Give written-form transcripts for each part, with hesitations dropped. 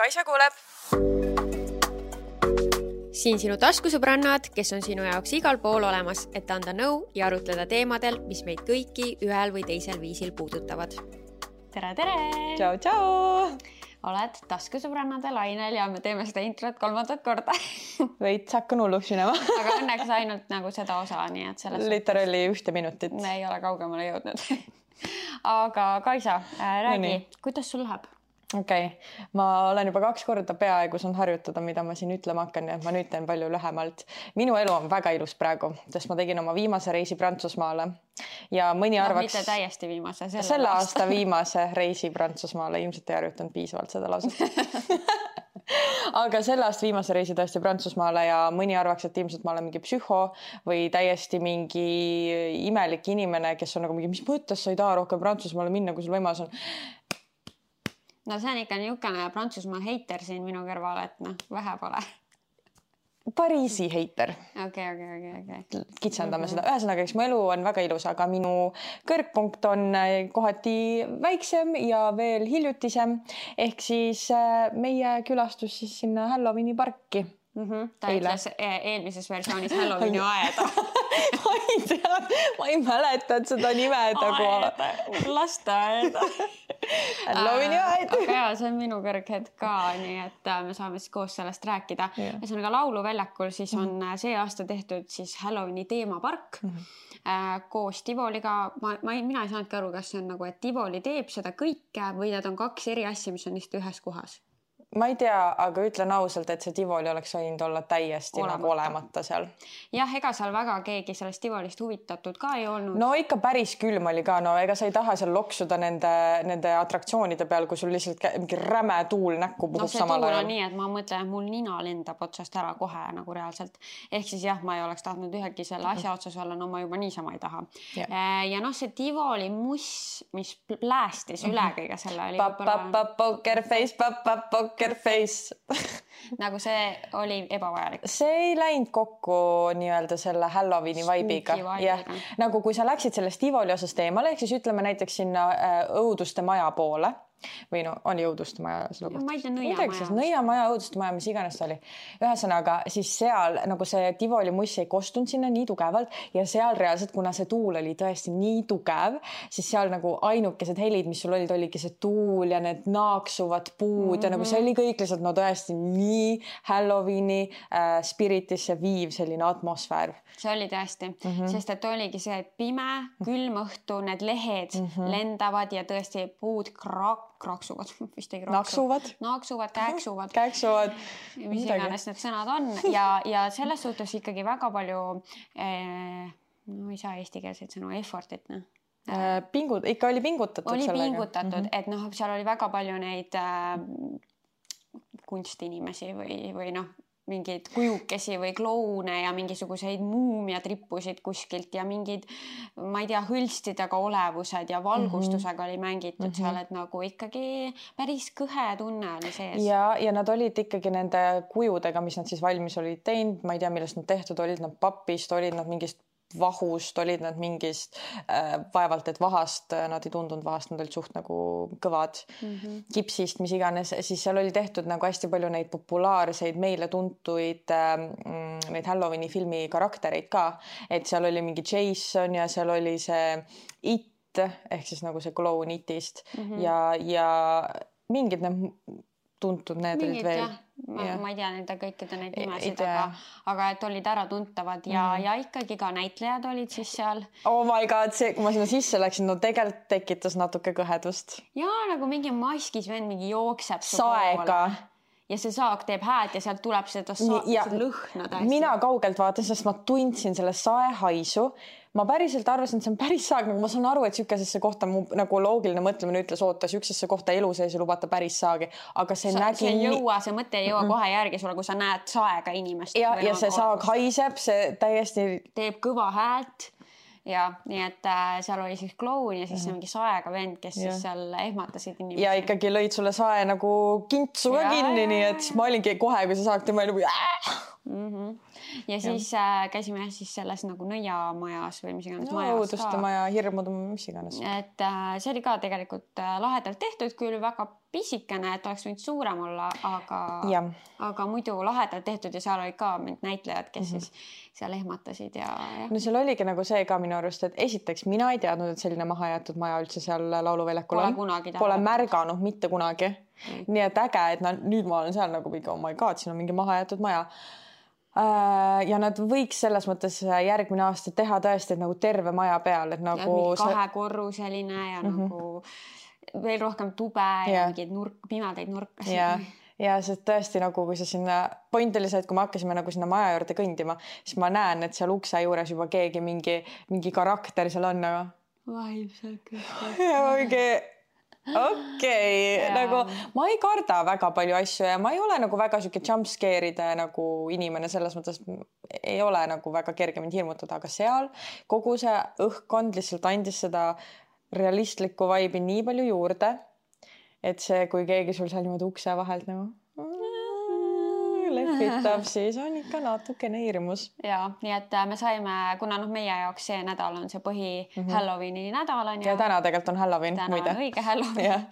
Kaisa kuuleb. Siin sinu taskusõbrannad, kes on sinu jaoks igal pool olemas, et anda nõu ja arutleda teemadel, mis meid kõiki ühel või teisel viisil puudutavad. Tere, tere! Tšau, tšau! Oled taskusõbrannade lainel ja me teeme seda introt 3. korda. Veits hakkan hulluks minema. Aga õnneks ainult nagu seda osa, nii et selles Literally 1 minutit. Me ei ole kaugemale jõudnud. Aga Kaisa, räägi, kuidas sul läheb? Okei. Ma olen juba 2 korda peaaegu saan harjutada, mida ma siin ütlema hakkan, ja ma nüüd teen palju lühemalt. Minu elu on väga ilus praegu, sest ma tegin oma viimase reisi Prantsusmaale ja mõni arvaks... Mitte täiesti viimase, selle aasta viimase reisi Prantsusmaale. Ilmselt ei harjutanud piisavalt seda lauset. Aga selle aasta viimase reisi tõesti Prantsusmaale ja mõni arvaks, et ilmselt ma olen mingi psühho või täiesti mingi imelik inimene, kes on nagu mingi, mis mõttes sa ei taha rohkem Prantsusmaale minna, kui sul võimalus on. No see on ikka niisugune Prantsusmaa heiter siin minu kõrval, et vähe pole. Pariisi heiter. Okei. Kitsendame seda. Ühesõnaga, eks mu elu on väga ilus, aga minu kõrgpunkt on kohati väiksem ja veel hiljutisem. Ehk siis meie külastus siis sinna Halloweeni parki. Ta ütles eelmises versioonis Halloweeni aeda. Ma ei tea, ma ei mäleta, et seda nimed lasteaeda. Halloweeni aed. Aga jaa, see on minu kõrghetk ka, nii et me saame siis koos sellest rääkida. Ühesõnaga lauluväljakul siis on see aasta tehtud siis Halloweeni teemapark koos Tivoliga. Mina ei saanudki aru, kas see on nagu, et Tivoli teeb seda kõike või need on 2 eri asja, mis on lihtsalt ühes kohas. Ma ei tea, aga ütlen ausalt, et see Tivoli oleks võinud olla täiesti nagu olemata seal. Jah, ega seal väga keegi sellest Tivolist huvitatud ka ei olnud. No ikka päris külm oli ka, no ega sa ei taha seal loksuda nende atraktsioonide peal, kui sul lihtsalt mingi räme tuul näkku puhub samal ajal. No see tuul on nii, et ma mõtlen, et mul nina lendab otsast ära kohe nagu reaalselt. Ehk siis jah, ma ei oleks tahtnud ühegi selle asja otsas olla, no ma juba niisama ei taha. Ja noh, see Tivoli muss, mis pläästis üle kõige selle oli poker face. Nagu see oli ebavajalik. See ei läinud kokku nii-öelda selle Halloweeni vibe'iga. Nagu kui sa läksid sellest Tivoli osast eemale, ehk siis ütleme näiteks sinna õuduste maja poole. Või no, oli õuduste maja selle kohta. Ma ei tea, Nõiamaja, õuduste maja, mis iganes oli. Ühesõnaga, siis seal nagu see Tivoli muss ei kostunud sinna nii tugevalt ja seal reaalselt, kuna see tuul oli tõesti nii tugev, siis seal nagu ainukesed helid, mis sul olidki see tuul ja need naaksuvad puud ja nagu see oli kõik lihtsalt no tõesti nii Halloweeni spiritisse viiv selline atmosfäär. See oli tõesti, sest et oligi see pime, külm õhtu, need lehed lendavad ja tõesti puud kraaksuvad, vist ei kraaksuvad. Naaksuvad, kääksuvad. Mis iganes need sõnad on ja selles suhtes ikkagi väga palju no ei saa eestikeelseid sõnu, effortit. Ikka oli pingutatud. Oli pingutatud, et noh, seal oli väga palju neid kunstinimesi või noh, mingeid kujukesi või kloune ja mingisuguseid muumia trippusid kuskilt ja mingid, ma ei tea, hõlstidega olevused ja valgustusega oli mängitud seal, et nagu ikkagi päris kõhe tunne oli sees. Ja nad olid ikkagi nende kujudega, mis nad siis valmis olid teinud, ma ei tea, millest nad tehtud, olid nad papist, olid nad mingist vahust, olid nad mingist vaevalt, et vahast, nad ei tundunud vahast, nad olid suht nagu kõvad kipsist, mis iganes, siis seal oli tehtud nagu hästi palju neid populaarseid meile tuntuid neid Halloweeni filmi karaktereid ka, et seal oli mingi Jason ja seal oli see It, ehk siis nagu see kloun Itist ja mingid need tuntud, need olid veel. Ma ei tea nende kõikide neid nimesid, aga et olid ära tuntavad ja ikkagi ka näitlejad olid siis seal. Oh my god, see, kui ma sinna sisse läksin, no tegelikult tekitas natuke kõhedust. Ja nagu mingi maskis vend mingi jookseb saega. Ja see saag teeb hääd ja sealt tuleb seda lõhna täiesti. Mina kaugelt vaatan, sest ma tundsin selle saehaisu. Ma päriselt arvasin, et see on päris saag, nagu ma saan aru, et sükesesse kohta mu nagu loogiline mõtlemine ütles, oota, süksesse kohta elu sees ja lubata päris saagi, aga see nägi... See mõte ei jõua kohe järgi sulle, kui sa näed saega inimest. Ja see saag haiseb, see täiesti... Teeb kõva häält ja nii, et seal oli siis kloun ja siis mingi saega vend, kes siis seal ehmatasid inimesi. Ja ikkagi lõid sulle sae nagu kintsu ka kinni, nii et ma olingi kohe, kui see saag tema nagu... Ja siis käisime siis selles nagu nõiamajas või mis iganes majas. Õuduste maja, hirmudu, mis iganes. Et see oli ka tegelikult lahedalt tehtud, küll väga pisikene, et oleks võinud suurem olla, aga muidu lahedalt tehtud ja seal olid ka mingid näitlejad, kes siis seal ehmatasid ja. No seal oligi nagu see ka minu arust, et esiteks mina ei teadnud, et selline mahajäetud maja üldse seal lauluväljakul on. Pole märganud mitte kunagi. Nii et äge, et nüüd ma olen seal nagu mingi, oh my god, siin on mingi mahajätud maja. Ja nad võiks selles mõttes järgmine aasta teha tõesti nagu terve maja peal, et nagu ja 2 korruseline ja nagu veel rohkem tube ja mingeid pimedaid nurkasid. Ja see tõesti nagu, kui sa sinna point oli see, et kui me hakkasime nagu sinna maja juurde kõndima, siis ma näen, et seal ukse juures juba keegi mingi karakter seal on nagu. Vaimselt. Ja mingi okei. Nagu ma ei karda väga palju asju ja ma ei ole nagu väga siuke jumpscare'ide nagu inimene selles mõttes, ei ole nagu väga kerge mind hirmutada, aga seal kogu see õhkkond lihtsalt andis seda realistlikku vaibi nii palju juurde, et see, kui keegi sul seal niimoodi ukse vahelt nagu lehvitab, siis on ikka natukene hirmus. Ja, nii et me saime, kuna meie jaoks see nädal on see Halloweeni nädal on ja täna tegelikult on Halloween. Täna on õige Halloween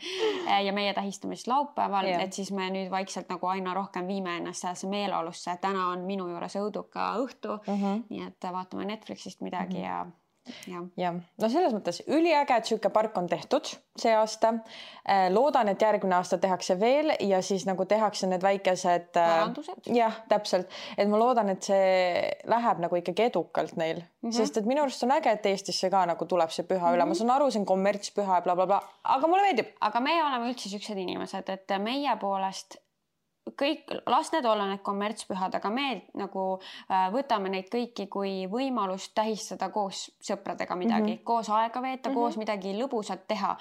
ja meie tähistame siis laupäeval, et siis me nüüd vaikselt nagu aina rohkem viime ennast sellesse meeleolusse. Täna on minu juures õuduka õhtu, nii et vaatame Netflixist midagi ja. No selles mõttes üliäge, et siuke park on tehtud see aasta. Loodan, et järgmine aasta tehakse veel ja siis nagu tehakse need väikesed parandused. Jah, täpselt. Et ma loodan, et see läheb nagu ikkagi edukalt neil, sest et minu arust on äge, et Eestisse ka nagu tuleb see püha üle. Ma saan aru, see on kommertspüha ja blablabla, aga mulle meeldib. Aga meie oleme üldse siuksed inimesed, et meie poolest kõik, las need olla need kommertspühad, aga me nagu võtame neid kõiki kui võimalust tähistada koos sõpradega midagi, koos aega veeta, koos midagi lõbusat teha.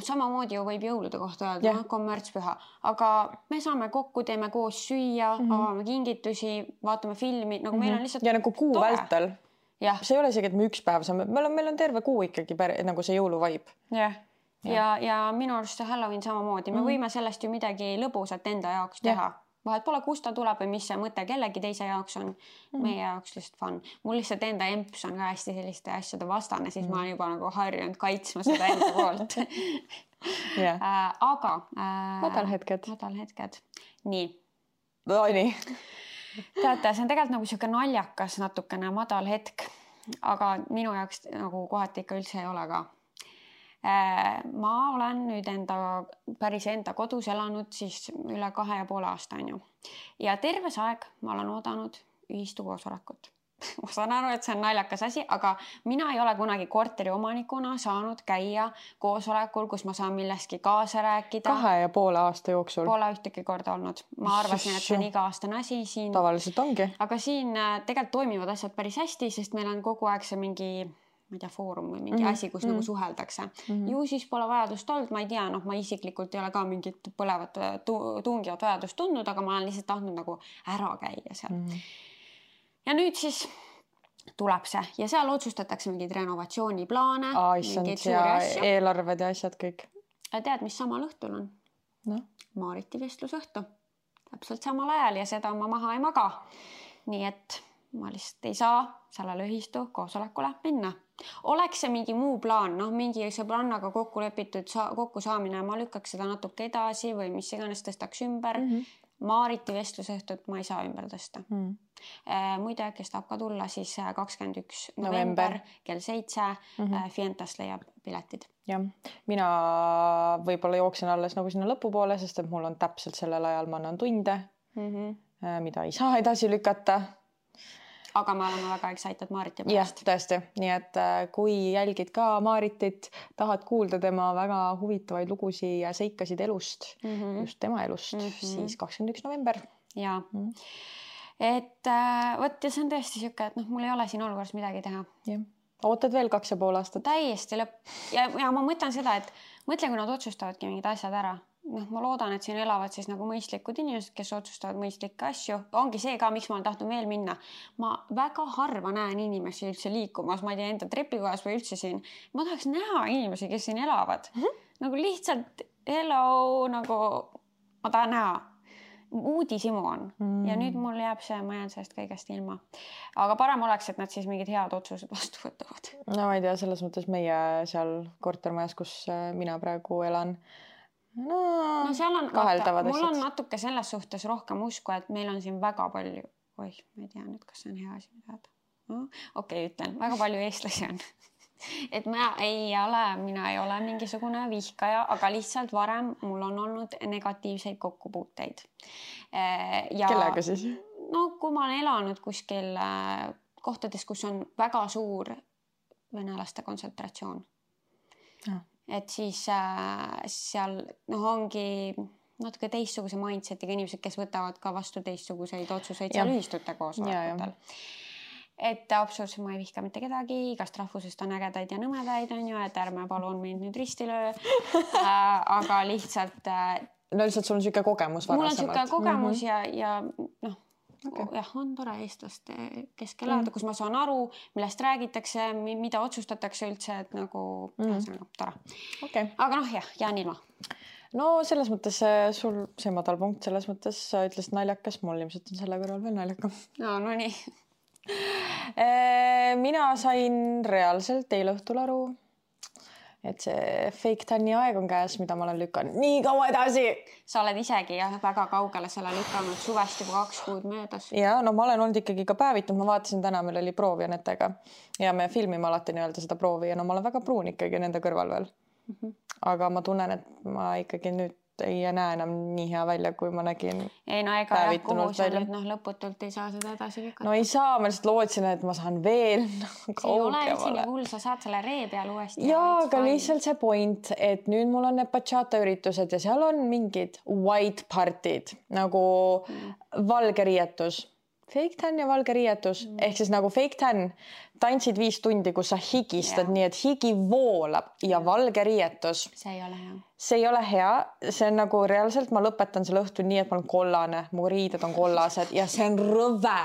Samamoodi ju võib jõulude kohta öelda, kommertspüha, aga me saame kokku, teeme koos süüa, avame kingitusi, vaatame filmi, nagu meil on lihtsalt ja nagu kuu vältel. See ei ole isegi, et me üks päev saame, meil on terve kuu ikkagi nagu see jõuluvaib. Ja minu arust see Halloween samamoodi, me võime sellest ju midagi lõbusat enda jaoks teha. Vahet pole, kust ta tuleb või mis see mõte kellegi teise jaoks on, meie jaoks lihtsalt fun. Mul lihtsalt enda emps on ka hästi selliste asjade vastane, siis ma olen juba nagu harjunud kaitsma seda enda poolt. Aga madalhetked. Nii. Nii. Teate, see on tegelikult nagu siuke naljakas natukene madal hetk, aga minu jaoks nagu kohati ikka üldse ei ole ka. Ma olen nüüd päris enda kodus elanud siis üle 2,5 aasta on ju. Ja terve see aeg ma olen oodanud ühistu koosolekut. Ma saan aru, et see on naljakas asi, aga mina ei ole kunagi korteri omanikuna saanud käia koosolekul, kus ma saan millestki kaasa rääkida. 2,5 aasta jooksul. Pole ühtegi korda olnud. Ma arvasin, et see on iga-aastane asi siin. Tavaliselt ongi. Aga siin tegelikult toimivad asjad päris hästi, sest meil on kogu aeg see mingi ma ei tea, foorum või mingi asi, kus nagu suheldakse. Ju siis pole vajadust olnud, ma ei tea, ma isiklikult ei ole ka mingit põlevat tungivat vajadust tundnud, aga ma olen lihtsalt tahtnud nagu ära käia seal. Ja nüüd siis tuleb see ja seal otsustatakse mingid renovatsiooniplaane, mingid suuri asju. Eelarved ja asjad kõik. Tead, mis samal õhtul on? Maariti vestlusõhtu. Täpselt samal ajal ja seda ma maha ei maga. Nii et ma lihtsalt ei saa sellele ühistu koosolekule minna. Oleks see mingi muu plaan, mingi sõbrannaga kokku lepitud kokku saamine, ma lükkaks seda natuke edasi või mis iganes tõstaks ümber. Maariti vestlusõhtut ma ei saa ümber tõsta. Muide, kes tahab ka tulla, siis 21. november kell 7 Fientas leiab piletid. Ja, mina võib-olla jooksen alles nagu sinna lõpupoole, sest et mul on täpselt sellel ajal ma annan tunde, mida ei saa edasi lükata. Aga me oleme väga excited Maariti pärast. Jah, tõesti. Nii et kui jälgid ka Maaritit, tahad kuulda tema väga huvitavaid lugusi ja seikasid elust, just tema elust, siis 21. november. Ja. Et võt ja see on tõesti siuke, et mul ei ole siin olukorras midagi teha. Ja. Ootad veel 2,5 aastat? Täiesti lõpp. Ja ma mõtlen seda, et mõtle, kui nad otsustavadki mingid asjad ära. Ma loodan, et siin elavad siis nagu mõistlikud inimesed, kes otsustavad mõistlikke asju. Ongi see ka, miks ma olen tahtnud veel minna. Ma väga harva näen inimesi üldse liikumas, ma ei tea, enda trepikojas või üldse siin. Ma tahaks näha inimesi, kes siin elavad. Nagu lihtsalt hello, nagu ma tahan näha. Uudisimu on. Ja nüüd mul jääb see, ma jään sellest kõigest ilma. Aga parem oleks, et nad siis mingid head otsused vastu võtavad. No ma ei tea, selles mõttes meie seal kortermajas, kus mina praegu elan, no seal on, mul on asjad. natuke selles suhtes rohkem usku, et meil on siin väga palju, ma ei tea nüüd, kas see on hea asi teada. Okei, ütlen, väga palju eestlasi on. Et mina ei ole mingisugune vihkaja, aga lihtsalt varem mul on olnud negatiivseid kokkupuuteid. Kellega siis? No kui ma olen elanud kuskil kohtades, kus on väga suur venelaste kontsentratsioon. Et siis seal ongi natuke teistsuguse mindsetiga inimesed, kes võtavad ka vastu teistsuguseid otsuseid seal ühistute koosolekutel. Et absoluutselt ma ei vihka mitte kedagi, igast rahvusest on ägedaid ja nõmedaid, on ju, et ärme palun mind nüüd ristilöö. Aga lihtsalt... No lihtsalt sul on siuke kogemus varasemalt. Mul on siuke kogemus ja noh, jah, on tore eestlaste keskel elada, kus ma saan aru, millest räägitakse, mida otsustatakse üldse, et nagu tore. Okay. Aga noh, jah, jään ilma. No selles mõttes sul see madal punkt, selles mõttes sa ütlesid naljakas, mul ilmselt on selle kõrval veel naljakam. No nii. Mina sain reaalselt eile õhtul aru, et see fake tanni aeg on käes, mida ma olen lükanud nii kaua edasi. Sa oled isegi väga kaugele selle lükanud, suvest juba 2 kuud möödas. Ja no ma olen olnud ikkagi ka päevitanud, ma vaatasin täna, meil oli proov Janetega ja me filmime alati nii-öelda seda proovi ja no ma olen väga pruun ikkagi nende kõrval veel. Aga ma tunnen, et ma ikkagi nüüd ei näe enam nii hea välja, kui ma nägin. Ei no ega kuhu sa nüüd lõputult ei saa seda edasi lükata. No ei saa, ma lihtsalt lootsin, et ma saan veel see ei ole üldsegi hull, sa saad selle ree peal uuesti. Jaa, aga lihtsalt see point, et nüüd mul on need bachata üritused ja seal on mingid white partid nagu valge riietus. Fake tan ja valge riietus. Ehk siis nagu fake tan tantsid 5 tundi, kus sa higistad nii, et higi voolab ja valge riietus. See ei ole hea. See ei ole hea. See on nagu reaalselt, ma lõpetan selle õhtu nii, et ma olen kollane, mu riided on kollased ja see on rõve.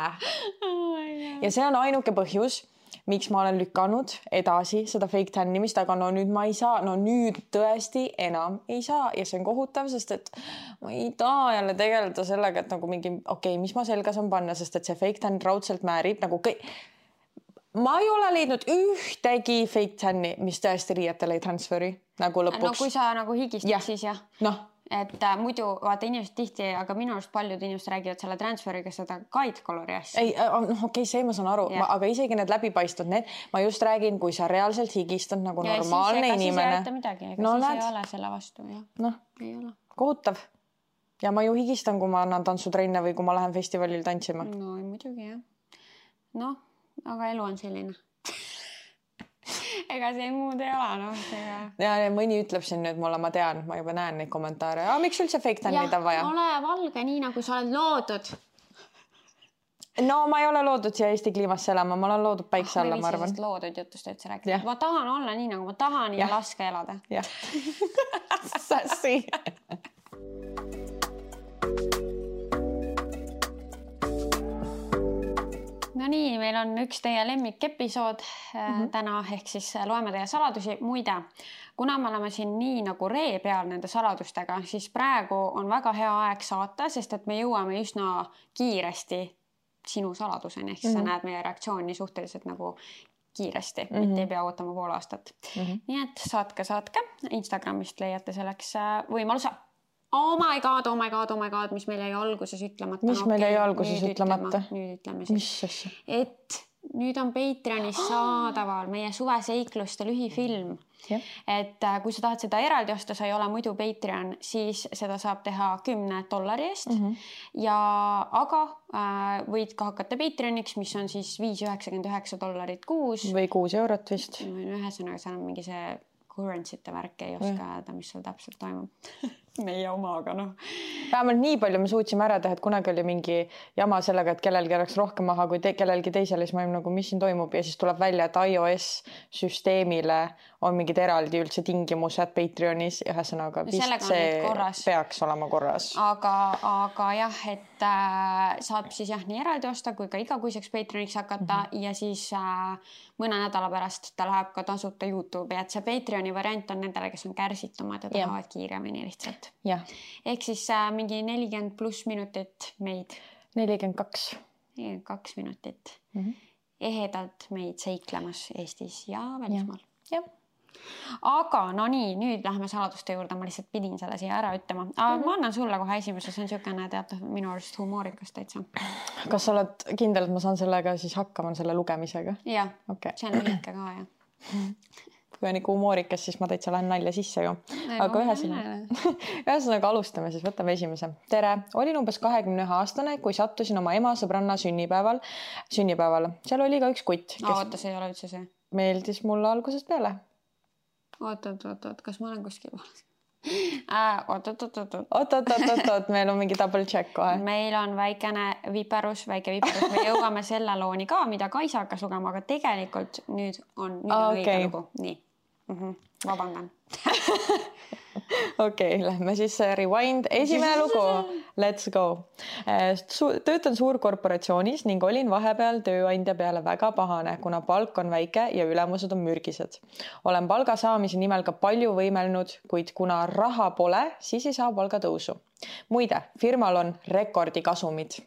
Ja see on ainuke põhjus, miks ma olen lükanud edasi seda fake tannimist, aga no nüüd ma ei saa, no nüüd tõesti enam ei saa ja see on kohutav, sest et ma ei taha jälle tegeleda sellega, et nagu mingi, mis ma selga saan panna, sest et see fake tann raudselt määrib nagu ma ei ole leidnud ühtegi fake tanni, mis tõesti riietele ei transferi nagu lõpuks. No kui sa nagu higistad, siis jah. Noh. Et muidu vaata inimesed tihti, aga minu arust paljud inimesed räägivad selle transferiga seda guide colori asja. Ei, see ma saan aru, aga isegi need läbipaistvad need, ma just räägin, kui sa reaalselt higistad nagu ja normaalne siis, inimene. Ja siis ei midagi, ega siis ei ole selle vastu. Noh, kohutav. Ja ma ju higistan, kui ma annan tantsutrenne või kui ma lähen festivalil tantsima. No muidugi jah. Noh, aga elu on selline. Ega see muud ei ole, Ja mõni ütleb siin nüüd mulle, ma tean, ma juba näen neid kommentaare. Miks üldse fake tannid on vaja? Ole valge nii, nagu sa oled loodud. No ma ei ole loodud siia Eesti kliimasse elama, ma olen loodud päikse alla, ma arvan. Loodud jutust üldse rääkida. Ma tahan olla nii, nagu ma tahan ja laske elada. Jah. Sassi. No nii, meil on üks teie lemmikepisood täna, ehk siis loeme teie saladusi. Muide, kuna me oleme siin nii nagu ree peal nende saladustega, siis praegu on väga hea aeg saata, sest et me jõuame üsna kiiresti sinu saladuseni, ehk sa näed meie reaktsiooni suhteliselt nagu kiiresti, mitte ei pea ootama pool aastat. Nii et saatke. Instagramist leiate selleks võimaluse. Oh my god, mis meil jäi alguses ütlemata. Mis meil jäi alguses ütlemata? Nüüd ütleme siis. Et nüüd on Patreonis saadaval meie suveseikluste lühifilm. Et kui sa tahad seda eraldi osta, sa ei ole muidu Patreon, siis seda saab teha $10 eest. Aga võid ka hakata Patreoniks, mis on siis $5.99 kuus. Või €6 vist. Ühesõnaga, seal on mingi see currency'te värk, ei oska öelda, mis seal täpselt toimub. Meie omaga, noh. Vähemalt nii palju me suutsime ära teha, et kunagi oli mingi jama sellega, et kellelgi oleks rohkem maha kui kellelgi teisele, siis ma olin nagu, mis siin toimub ja siis tuleb välja, et iOS süsteemile on mingid eraldi üldse tingimused Patreonis, ühesõnaga vist see peaks olema korras. Aga jah, et saab siis jah nii eraldi osta kui ka igakuiseks Patreoniks hakata ja siis mõne nädala pärast ta läheb ka tasuta YouTube'i, et see Patreoni variant on nendele, kes on kärsitumad ja tahavad kiiremini lihtsalt. Ehk siis mingi 40+ minutit meid. 42 minutit. Ehedalt meid seiklemas Eestis ja välismaal. Aga no nii, nüüd lähme saladuste juurde, ma lihtsalt pidin selle siia ära ütlema. Ma annan sulle kohe esimese, see on niisugune teatav minu arust humoorikas täitsa. Kas sa oled kindel, et ma saan sellega siis hakkama selle lugemisega? Jah, okay. See on lühike ka, jah. Kui on ikka humoorikas, siis ma täitsa lähen nalja sisse ju. Aga ühesõnaga alustame, siis võtame esimese. Tere, olin umbes 21-aastane, kui sattusin oma ema sõbranna sünnipäeval. Seal oli ka üks kutt. Oota, see ei ole üldse see. Meeldis mulle algusest peale. Oot, kas ma olen kuskil valas? Oot, meil on mingi double check kohe. Meil on väike viperus. Me jõuame selle looni ka, mida Kaisa hakkas lugema, aga tegelikult nüüd on õige lugu. Nii, vabandan. Okei, lähme siis rewind. Esimene lugu. Let's go. Töötan suurkorporatsioonis ning olin vahepeal tööandja peale väga pahane, kuna palk on väike ja ülemused on mürgised. Olen palga saamise nimel ka palju võimelnud, kuid kuna raha pole, siis ei saa palga tõusu. Muide, firmal on rekordikasumid.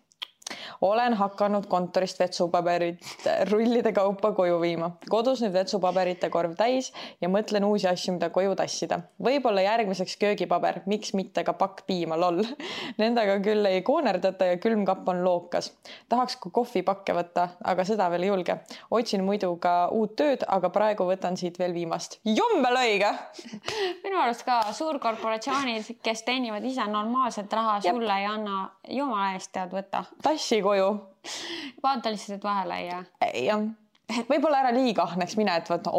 Olen hakanud kontorist vetsupaberit rullide kaupa koju viima. Kodus nüüd vetsupaberite korv täis ja mõtlen uusi asju, mida koju tassida. Võib-olla järgmiseks köögipaber, miks mitte ka pakk piima, lol. Nendega küll ei koonerdata ja külmkapp on lookas. Tahaks ka kohvipakke võtta, aga seda veel ei julge. Otsin muidu ka uut tööd, aga praegu võtan siit veel viimast. Jummel õige! Minu arust ka suurkorporatsioonid, kes teenivad ise normaalset raha, sulle ei anna jumala eest tead võtta. Tassi koju. Vaata lihtsalt vahele ja... Jah. Võib-olla ära liiga ahneks mine, et võtta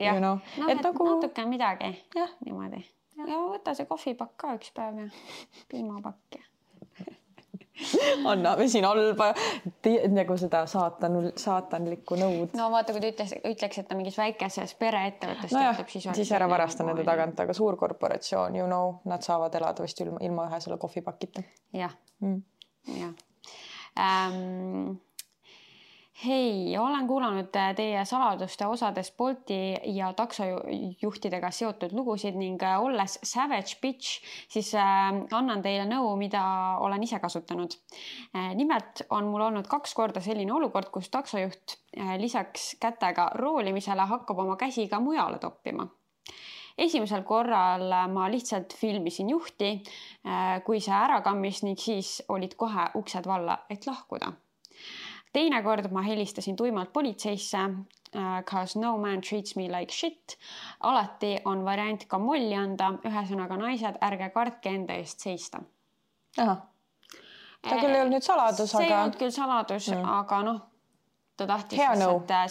jah. No, et nagu... natuke midagi. Ja. Niimoodi. Ja võta see kohvipakk ka üks päev ja piimapakk. Anname siin halba nagu seda saatanlikku nõud. No vaata, kui ta ütleks, et ta mingis väikeses pereettevõttes siis ära varasta nende tagant, aga suurkorporatsioon, nad saavad elada vist ilma ühe selle kohvipakita. Jah. Hei, olen kuulanud teie saladuste osades Bolti ja taksojuhtidega seotud lugusid ning olles savage bitch, siis annan teile nõu, mida olen ise kasutanud. Nimelt on mul olnud 2 korda selline olukord, kus taksojuht lisaks kätega roolimisele hakkab oma käsi ka mujale toppima. Esimesel korral ma lihtsalt filmisin juhti, kui see ära kammis ning siis olid kohe uksed valla, et lahkuda. Teine kord ma helistasin tuimalt politseisse, cause no man treats me like shit. Alati on variant ka molli anda, ühesõnaga naised, ärge kartke enda eest seista. Aha. Ta küll ei olnud nüüd saladus, see ei olnud küll saladus, aga ta tahtis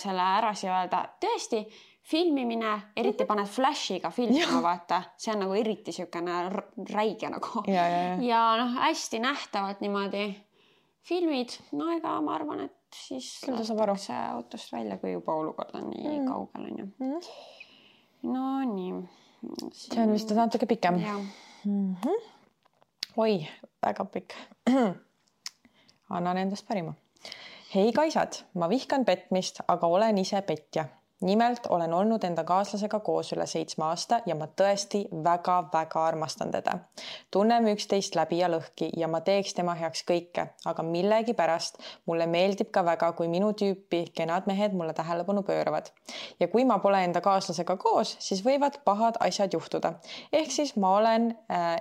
selle ära siia öelda. Tõesti, filmimine, eriti paned flashiga filmima, vaata. See on nagu eriti siukene räige nagu. Ja hästi nähtavalt niimoodi filmid. No ega ma arvan, et siis lastakse autost välja, kui juba olukord on nii kaugel. No nii. See on vist natuke pikem. Oi, väga pikk. Annan endast parima. Hei Kaisad, ma vihkan petmist, aga olen ise petja. Nimelt olen olnud enda kaaslasega koos üle 7 aasta ja ma tõesti väga-väga armastan teda. Tunneme üksteist läbi ja lõhki ja ma teeks tema heaks kõike, aga millegi pärast mulle meeldib ka väga, kui minu tüüpi kenad mehed mulle tähelepanu pööravad. Ja kui ma pole enda kaaslasega koos, siis võivad pahad asjad juhtuda. Ehk siis ma olen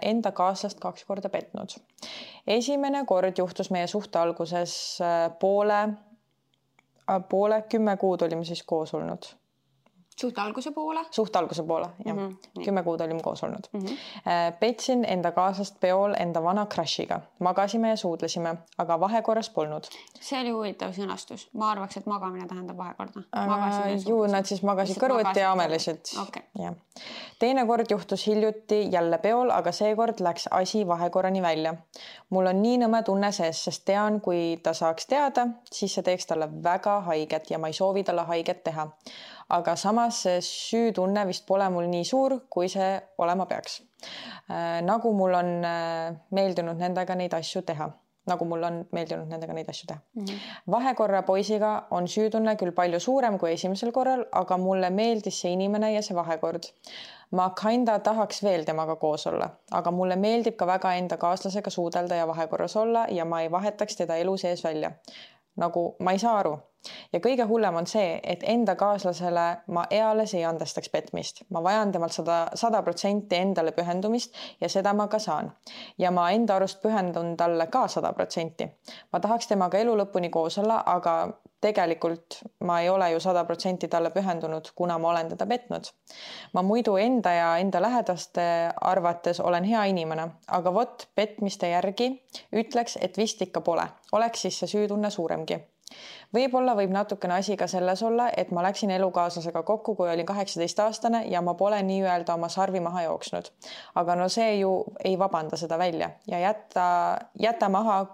enda kaaslast 2 korda petnud. Esimene kord juhtus meie suhte alguses poole 10 kuud olime siis koos olnud. Suhte alguse poole, jah. 10 kuud olime koos olnud. Petsin enda kaaslast peol enda vana crushiga. Magasime ja suudlesime, aga vahekorras polnud. See oli huvitav sõnastus. Ma arvaks, et magamine tähendab vahekorda. Nad siis magasid kõrvuti ja amelisid. Okay. Teine kord juhtus hiljuti jälle peol, aga seekord läks asi vahekorrani välja. Mul on nii nõme tunne sees, sest tean, kui ta saaks teada, siis see teeks talle väga haiget ja ma ei soovi talle haiget teha. Aga samas see süütunne vist pole mul nii suur, kui see olema peaks. Nagu mul on meeldinud nendega neid asju teha. Vahekorra poisiga on süütunne küll palju suurem kui esimesel korral, aga mulle meeldis see inimene ja see vahekord. Ma kinda tahaks veel temaga koos olla, aga mulle meeldib ka väga enda kaaslasega suudelda ja vahekorras olla ja ma ei vahetaks teda elu sees välja. Nagu ma ei saa aru, Ja kõige hullem on see, et enda kaaslasele ma eales ei andestaks petmist. Ma vajan temalt 100% endale pühendumist ja seda ma ka saan. Ja ma enda arust pühendun talle ka 100%. Ma tahaks temaga elu lõpuni koos olla, aga tegelikult ma ei ole ju 100% talle pühendunud, kuna ma olen teda petnud. Ma muidu enda ja enda lähedaste arvates olen hea inimene, aga vot petmiste järgi ütleks, et vist ikka pole. Oleks siis see süütunne suuremgi. Võib-olla võib natukene asi ka selles olla, et ma läksin elukaaslasega kokku, kui olin 18-aastane ja ma pole nii-öelda oma sarvi maha jooksnud. Aga no see ju ei vabanda seda välja ja jäta maha,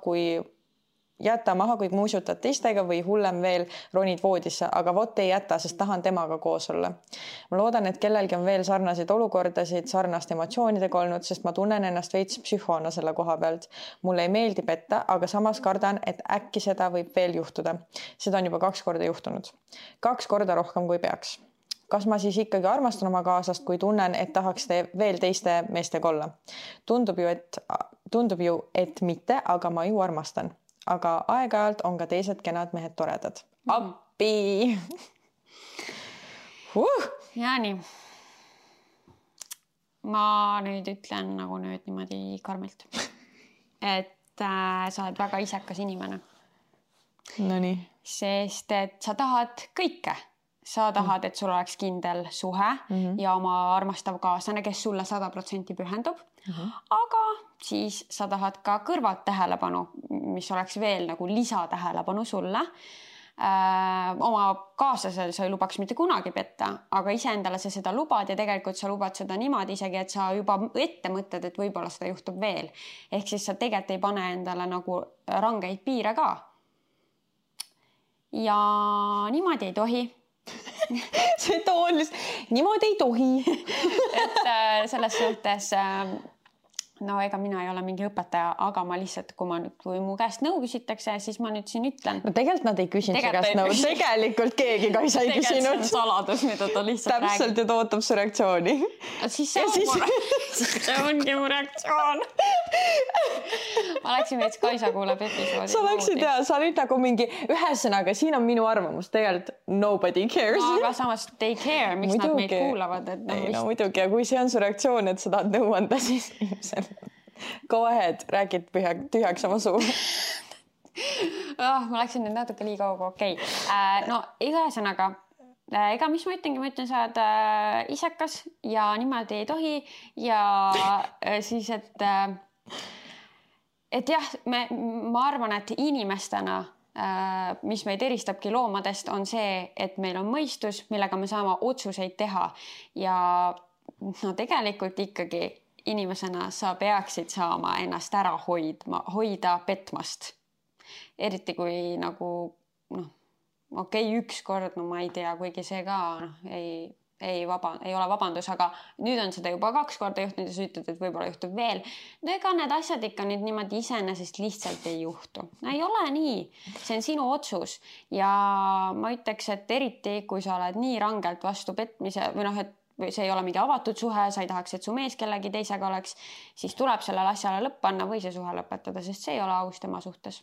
kui muusutad teistega või hullem veel ronid voodisse, aga vot ei jäta, sest tahan temaga koos olla. Ma loodan, et kellelgi on veel sarnaseid olukordasid, sarnaste emotsioonidega olnud, sest ma tunnen ennast veits psühhoona selle koha pealt. Mulle ei meeldi petta, aga samas kardan, et äkki seda võib veel juhtuda. Seda on juba 2 korda juhtunud. 2 korda rohkem kui peaks. Kas ma siis ikkagi armastan oma kaaslast, kui tunnen, et tahaks veel teiste meestega olla? Tundub ju, et mitte, aga ma ju armastan. Aga aeg-ajalt on ka teised kenad mehed toredad. Appi! Ja nii. Ma nüüd ütlen nagu nüüd niimoodi karmilt. Et sa oled väga isekas inimene. No nii. Sest et sa tahad kõike. Sa tahad, et sul oleks kindel suhe ja oma armastav kaaslane, kes sulle 100% pühendub. Aga siis sa tahad ka kõrvalt tähelepanu, mis oleks veel nagu lisatähelepanu sulle. Oma kaaslasel sa ei lubaks mitte kunagi petta, aga iseendale sa seda lubad ja tegelikult sa lubad seda niimoodi isegi, et sa juba ette mõtled, et võib-olla seda juhtub veel. Ehk siis sa tegelikult ei pane endale nagu rangeid piire ka. Ja niimoodi ei tohi. See toon niimoodi ei tohi. Et selles suhtes no ega mina ei ole mingi õpetaja, aga ma lihtsalt, kui mu käest nõu küsitakse, siis ma nüüd siin ütlen. No tegelikult nad ei küsinud su käest nõu. Tegelikult keegi ka ei sai küsinud. Tegelikult see on saladus, mida ta lihtsalt räägib. Täpselt ja ta ootab su reaktsiooni. Siis see ongi mu reaktsioon. Ma läksin veits Kaisa kuuleb episoodi. Sa läksid ja sa olid nagu mingi ühesõnaga, siin on minu arvamus. Tegelikult nobody cares. No, aga samas they care, miks nad meid kuulavad. No muidugi, ja kui see on su reaktsioon, et sa tahad nõu anda, siis ilmselt go ahead, räägid tühjaks oma suu. Ma läksin nüüd natuke liiga okei. No ühesõnaga, ega mis ma ütlen, sa oled isekas ja niimoodi ei tohi ja siis, et jah, ma arvan, et inimestena, mis meid eristabki loomadest, on see, et meil on mõistus, millega me saame otsuseid teha ja no tegelikult ikkagi inimesena sa peaksid saama ennast ära hoida petmast. Eriti kui nagu, üks kord, ma ei tea, kuigi see ka ei ole vabandus, aga nüüd on seda juba 2 korda juhtunud ja sa ütled, et võib-olla juhtub veel. No ega need asjad ikka nüüd niimoodi iseenesest lihtsalt ei juhtu. No ei ole nii. See on sinu otsus ja ma ütleks, et eriti kui sa oled nii rangelt vastu petmise või et see ei ole mingi avatud suhe, sa ei tahaks, et su mees kellegi teisega oleks, siis tuleb sellele asjale lõpp panna või see suhe lõpetada, sest see ei ole aus tema suhtes.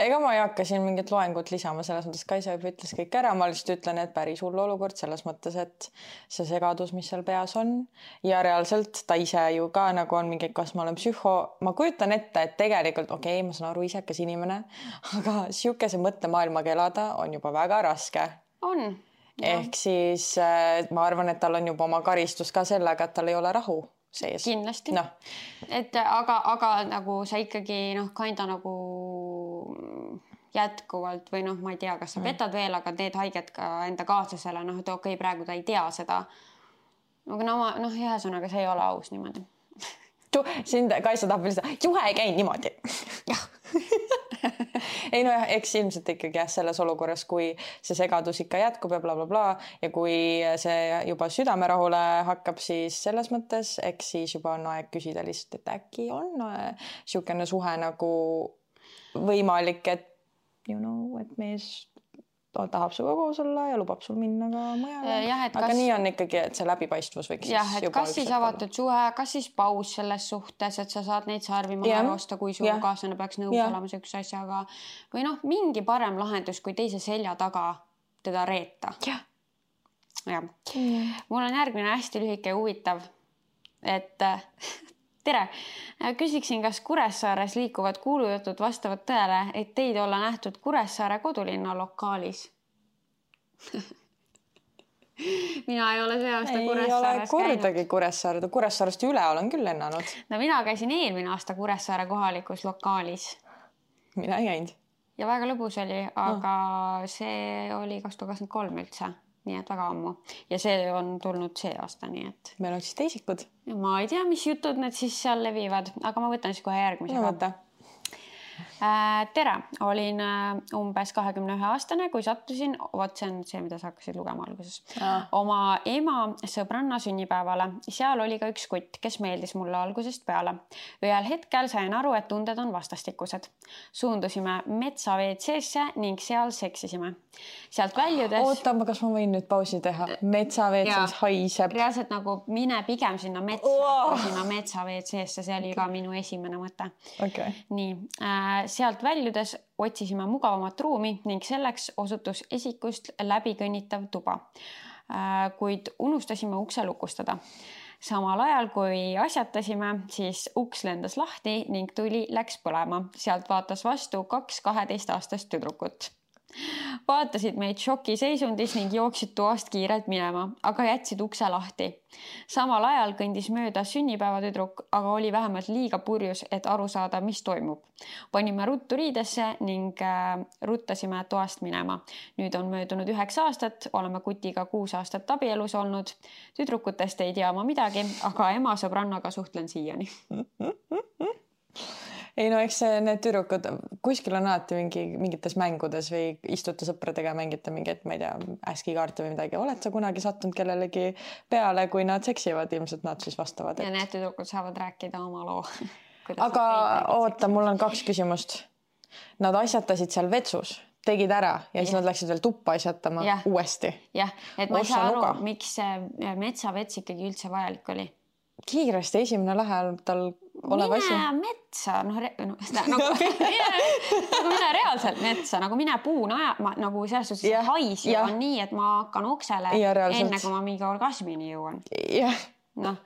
Ega ma ei hakka siin mingit loengut lisama, selles mõttes Kaisa juba ütles kõik ära, ma lihtsalt ütlen, et päris hull olukord selles mõttes, et see segadus, mis seal peas on ja reaalselt ta ise ju ka nagu on mingi, kas ma olen psühho, ma kujutan ette, et tegelikult ma saan aru isekas inimene, aga siukese mõttemaailmaga elada on juba väga raske. On. Ehk siis ma arvan, et tal on juba oma karistus ka sellega, et tal ei ole rahu sees. Kindlasti. No. Et aga nagu sa ikkagi kinda nagu jätkuvalt või ma ei tea, kas sa petad veel, aga teed haiget ka enda kaaslasele, et okei, praegu ta ei tea seda. Aga ühesõnaga see ei ole aus niimoodi. Sind Kaisa tahab veel seda, juhe ei käi niimoodi. Jah. Ei eks ilmselt ikkagi selles olukorras, kui see segadus ikka jätkub ja blablabla ja kui see juba südamerahule hakkab, siis selles mõttes, eks siis juba on aeg küsida lihtsalt, et äkki on siukene suhe nagu võimalik, et et mees tahab suga koos olla ja lubab sul minna ka mujale. Aga nii on ikkagi, et see läbipaistvus võiks et kas siis avatud suhe, kas siis paus selles suhtes, et sa saad neid sarvi maha joosta, kui su kaaslane peaks nõus olema sellise asjaga või mingi parem lahendus, kui teise selja taga teda reeta. Jah. Mul on järgmine hästi lühike ja huvitav, et tere, küsiksin, kas Kuressaares liikuvad kuulujutud vastavad tõele, et teid olla nähtud Kuressaare kodulinna lokaalis? Mina ei ole see aasta Kuressaares kordagi käinud. Kuressaarest üle olen küll lennanud. No mina käisin eelmine aasta Kuressaare kohalikus lokaalis. Mina ei käinud. Ja väga lõbus oli, aga see oli 2023 üldse. Nii et väga ammu. Ja see on tulnud see aasta, nii et... Meil on siis teisikud. Ma ei tea, mis jutud need siis seal levivad, aga ma võtan siis kohe järgmise. Tere, olin umbes 21-aastane, kui sattusin, see on see, mida sa hakkasid lugema alguses, oma ema sõbranna sünnipäevale. Seal oli ka üks kutt, kes meeldis mulle algusest peale. Ühel hetkel sain aru, et tunded on vastastikused. Suundusime metsa WC-sse ning seal seksisime. Sealt väljudes... Oota, kas ma võin nüüd pausi teha? Metsa WC-s haiseb. Reaalselt nagu mine pigem sinna metsa WC-sse, see oli ka minu esimene mõte. Okay. Nii, sealt väljudes otsisime mugavamat ruumi ning selleks osutus esikust läbikõnnitav tuba. Kuid unustasime ukse lukustada. Samal ajal, kui asjatasime, siis uks lendas lahti ning tuli läks põlema. Sealt vaatas vastu 2 12-aastast tüdrukut. Vaatasid meid šokiseisundis ning jooksid toast kiirelt minema, aga jätsid ukse lahti. Samal ajal kõndis mööda sünnipäevatüdruk, aga oli vähemalt liiga purjus, et aru saada, mis toimub. Panime ruttu riidesse ning ruttasime toast minema. Nüüd on möödunud 9 aastat, oleme kutiga 6 aastat abielus olnud. Tüdrukutest ei tea ma midagi, aga ema sõbrannaga suhtlen siiani. Ei no, eks need tüdrukud kuskil on alati mingites mängudes või istute sõpradega mängite mingit, ma ei tea, äskikaarte või midagi. Oled sa kunagi sattunud kellelegi peale, kui nad seksivad, ilmselt nad siis vastavad. Ja need tüdrukud saavad rääkida oma loo. Aga oota, mul on 2 küsimust. Nad asjatasid seal vetsus, tegid ära ja siis nad läksid veel tuppa asjatama uuesti. Jah, et ma ei saa aru, miks see metsavets ikkagi üldse vajalik oli. Kiiresti esimene lähel tal olev asi. Mine metsa, nagu mine reaalselt metsa, nagu mine puuna nagu selles suhtes hais on nii, et ma hakkan oksele enne, kui ma mingi orgasmini jõuan. Noh,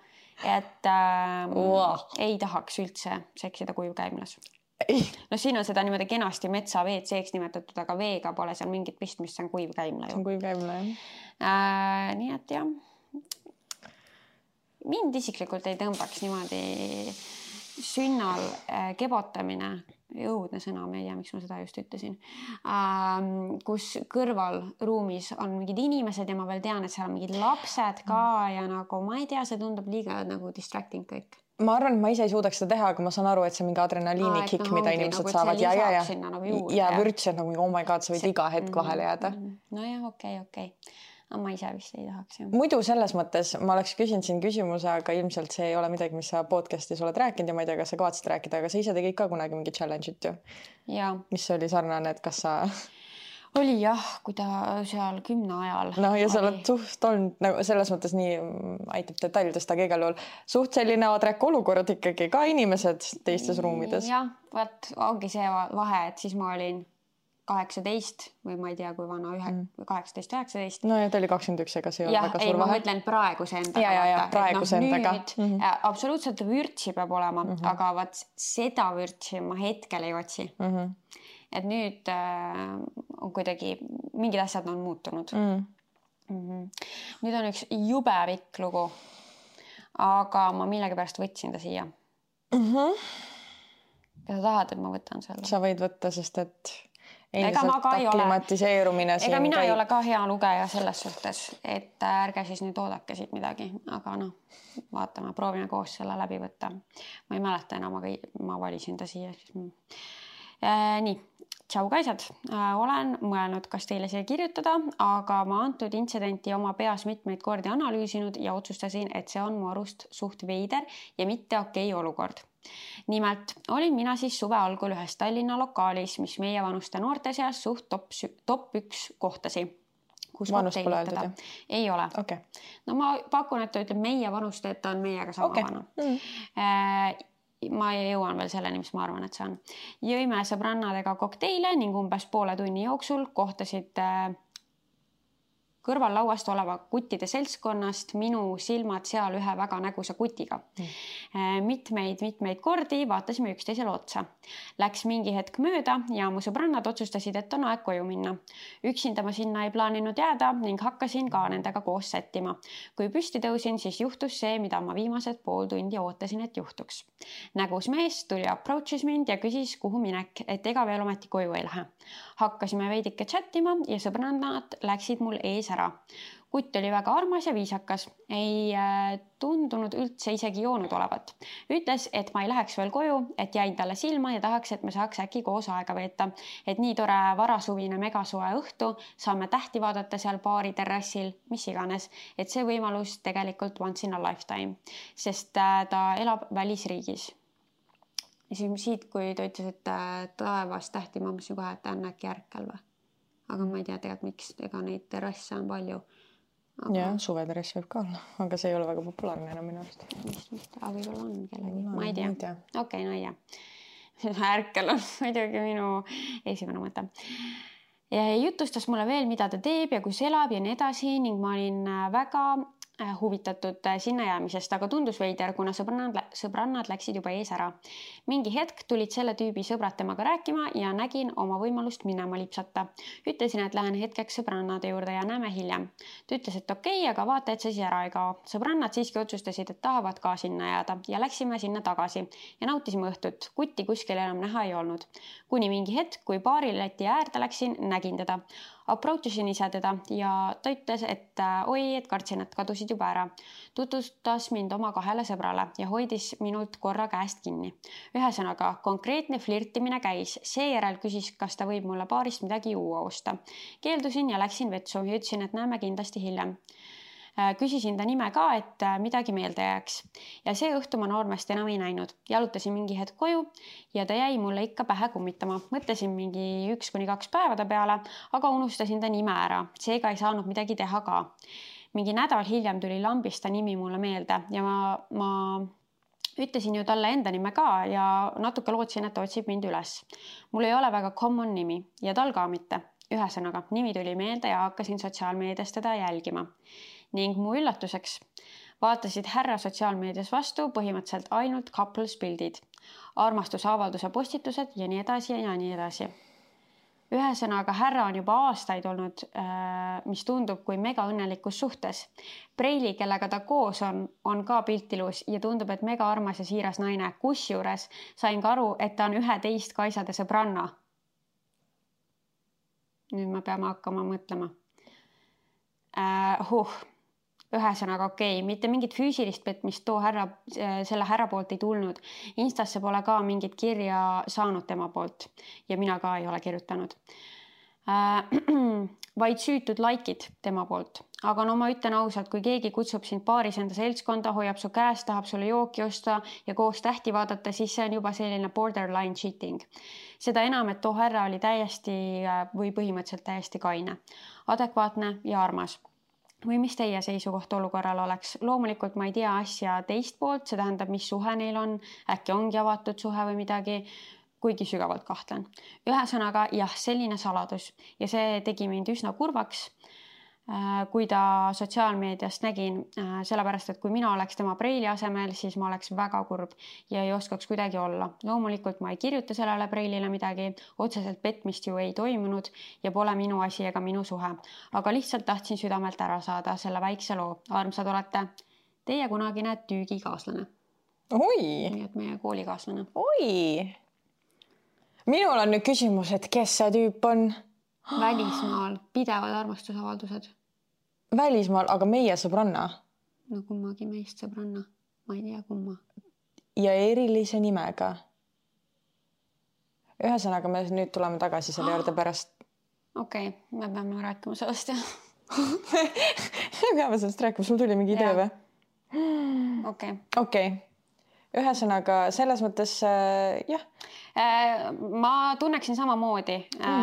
et ei tahaks üldse seksida kuivkäimlas. No siin on seda niimoodi kenasti metsa WC-ks nimetatud, aga veega pole seal mingit pistmist, see on kuivkäimla. See on kuivkäimla, Nii et jah. Mind isiklikult ei tõmbaks niimoodi sünnal kebotamine, õudne sõna, ma ei tea, miks ma seda just ütlesin, kus kõrval ruumis on mingid inimesed ja ma veel tean, et seal on mingid lapsed ka ja nagu ma ei tea, see tundub liiga nagu distracting kõik. Ma arvan, et ma ise ei suudaks seda teha, aga ma saan aru, et see mingi adrenaliini kikk, mida inimesed saavad ja vürts, et nagu oh my god, sa võid iga hetk vahele jääda. No jah, okei. Ma ise vist ei tahaks. Muidu selles mõttes ma oleks küsinud siin küsimuse, aga ilmselt see ei ole midagi, mis sa podcastis oled rääkinud ja ma ei tea, kas sa kavatsid rääkida, aga sa ise tegid ka kunagi mingi challenge'it ju. Ja. Mis oli sarnane, et kas sa... Oli jah, kui ta seal 10 ajal. No ja sa oled suht olnud, nagu selles mõttes nii aitab detailidest, aga igal juhul suht selline adrek olukord ikkagi ka inimesed teistes ruumides. Jah, vaat ongi see vahe, et siis ma olin 18 või ma ei tea, kui vana 18-19. No ja ta oli 21, ega see ei ole väga suur vahe. Ma mõtlen praeguse endaga. Ja, praeguse endaga. Absoluutselt vürtsi peab olema, aga vaat seda vürtsi ma hetkel ei otsi. Et nüüd on kuidagi, mingid asjad on muutunud. Nüüd on üks jube pikk lugu, aga ma millegi pärast võtsin ta siia. Kas sa tahad, et ma võtan selle? Sa võid võtta, sest et endiselt aklimatiseerumine siin. Ega mina ei ole ka hea lugeja selles suhtes, et ärge siis nüüd oodake siit midagi, aga noh, vaatame, proovime koos selle läbi võtta. Ma ei mäleta enam, aga ma valisin ta siia. Nii, tšau kaisad. Olen mõelnud, kas teile see kirjutada, aga ma antud intsidenti oma peas mitmeid kordi analüüsinud ja otsustasin, et see on mu arust suht veider ja mitte okei olukord. Nimelt olin mina siis suve algul ühes Tallinna lokaalis, mis meie vanuste noorte seas suht top 1 kohtasi. Vanust pole öeldud, jah? Ei ole. Okay. No ma pakun, et ta ütleb meie vanust, et ta on meiega sama vana. Ma jõuan veel selleni, mis ma arvan, et see on. Jõime sõbrannadega kokteile ning umbes poole tunni jooksul kohtasid kõrval lauast oleva kuttide seltskonnast minu silmad seal ühe väga nägusa kutiga. Mitmeid kordi vaatasime üksteisele otsa. Läks mingi hetk mööda ja mu sõbrannad otsustasid, et on aeg koju minna. Üksinda ma sinna ei plaaninud jääda ning hakkasin ka nendega koos sättima. Kui püsti tõusin, siis juhtus see, mida ma viimased pool tundi ootasin, et juhtuks. Nägus mees tuli approach'is mind ja küsis, kuhu minek, et ega veel ometi koju ei lähe. Hakkasime veidike chattima ja sõbrannad läksid mul ees ära. Kutt oli väga armas ja viisakas. Ei tundunud üldse isegi joonud olevat. Ütles, et ma ei läheks veel koju, et jäin talle silma ja tahaks, et me saaks äkki koos aega veeta. Et nii tore varasuvine megasoe õhtu, saame tähti vaadata seal baari terrassil, mis iganes. Et see võimalus tegelikult once in a lifetime, sest ta elab välisriigis. Ja siit, kui ta ütles, et taevas tähti, ma mõtlesin kohe, et ta on äkki ärkel või. Aga ma ei tea tegelikult, miks, ega neid terrasse on palju. Aga... Ja, suveterrass võib ka olla, aga see ei ole väga populaarne enam minu arust. Aga võib-olla on kellegi, ma ei tea. Okei, no ei tea. Ärkel on muidugi minu esimene mõte. Ja jutustas mulle veel, mida ta teeb ja kus elab ja nii edasi ning ma olin väga huvitatud sinna jäämisest, aga tundus veider, kuna sõbrannad läksid juba ees ära. Mingi hetk tulid selle tüübi sõbrad temaga rääkima ja nägin oma võimalust minema lipsata. Ütlesin, et lähen hetkeks sõbrannade juurde ja näeme hiljem. Ta ütles, et okei, aga vaata, et see siis ära ei kao. Sõbrannad siiski otsustasid, et tahavad ka sinna jääda ja läksime sinna tagasi ja nautisime õhtut. Kutti kuskil enam näha ei olnud. Kuni mingi hetk, kui baarileti äärde läksin, nägin teda. Approachisin ise teda ja ta ütles, et oi, et kartsin, et kadusid juba ära. Tutvustas mind oma 2 sõbrale ja hoidis minult korra käest kinni. Ühesõnaga, konkreetne flirtimine käis. Seejärel küsis, kas ta võib mulle baarist midagi juua osta. Keeldusin ja läksin vetsu ja ütlesin, et näeme kindlasti hiljem. Küsisin ta nime ka, et midagi meelde jääks. Ja see õhtu ma noormest enam ei näinud. Jalutasin mingi hetk koju ja ta jäi mulle ikka pähe kummitama. Mõtlesin mingi 1-2 päevade peale, aga unustasin ta nime ära. Seega ei saanud midagi teha ka. Mingi nädal hiljem tuli lambist ta nimi mulle meelde ja ma ütlesin ju talle enda nime ka ja natuke lootsin, et ta otsib mind üles. Mul ei ole väga common nimi ja tal ka mitte. Ühesõnaga, nimi tuli meelde ja hakkasin sotsiaalmeedias teda jälgima. Ning mu üllatuseks vaatasid härra sotsiaalmeedias vastu põhimõtteliselt ainult couples pildid, armastusavalduse postitused ja nii edasi ja nii edasi. Ühesõnaga, härra on juba aastaid olnud, mis tundub kui mega õnnelikus suhtes. Preili, kellega ta koos on ka piltilus ja tundub, et mega armas ja siiras naine. Kusjuures sain ka aru, et ta on 11 kaisade sõbranna. Nüüd me peame hakkama mõtlema. Ühesõnaga okei, mitte mingit füüsilist petmist selle härra poolt ei tulnud. Instasse pole ka mingit kirja saanud tema poolt ja mina ka ei ole kirjutanud. Vaid süütud likeid tema poolt. Aga no ma ütlen ausalt, kui keegi kutsub sind baaris enda seltskonda, hoiab su käest, tahab sulle jooki osta ja koos tähti vaadata, siis see on juba selline borderline cheating. Seda enam, et too härra oli täiesti või põhimõtteliselt täiesti kaine, adekvaatne ja armas. Või mis teie seisukoht olukorral oleks? Loomulikult ma ei tea asja teist poolt, see tähendab, mis suhe neil on, äkki ongi avatud suhe või midagi, kuigi sügavalt kahtlen. Ühesõnaga, jah, selline saladus ja see tegi mind üsna kurvaks, kui ta sotsiaalmeediast nägin, sellepärast, et kui mina oleks tema preili asemel, siis ma oleks väga kurb ja ei oskaks kuidagi olla. Loomulikult ma ei kirjuta sellele preilile midagi, otseselt petmist ju ei toimunud ja pole minu asi ega minu suhe. Aga lihtsalt tahtsin südamelt ära saada selle väikse loo. Armsad olete teie kunagine tüügikaaslane. Oi! Nii et meie koolikaaslane. Oi! Minul on nüüd küsimus, et kes see tüüp on? Välismaal pidevad armastusavaldused. Välismaal, aga meie sõbranna? No kummagi meist sõbranna. Ma ei tea kumma. Ja erilise nimega. Ühesõnaga, me nüüd tuleme tagasi selle juurde pärast. Okei, me peame rääkima sellest, jah. Me peame sellest rääkima, sul tuli mingi idee või? Okei. Okei. ühesõnaga selles mõttes jah. Ma tunneksin samamoodi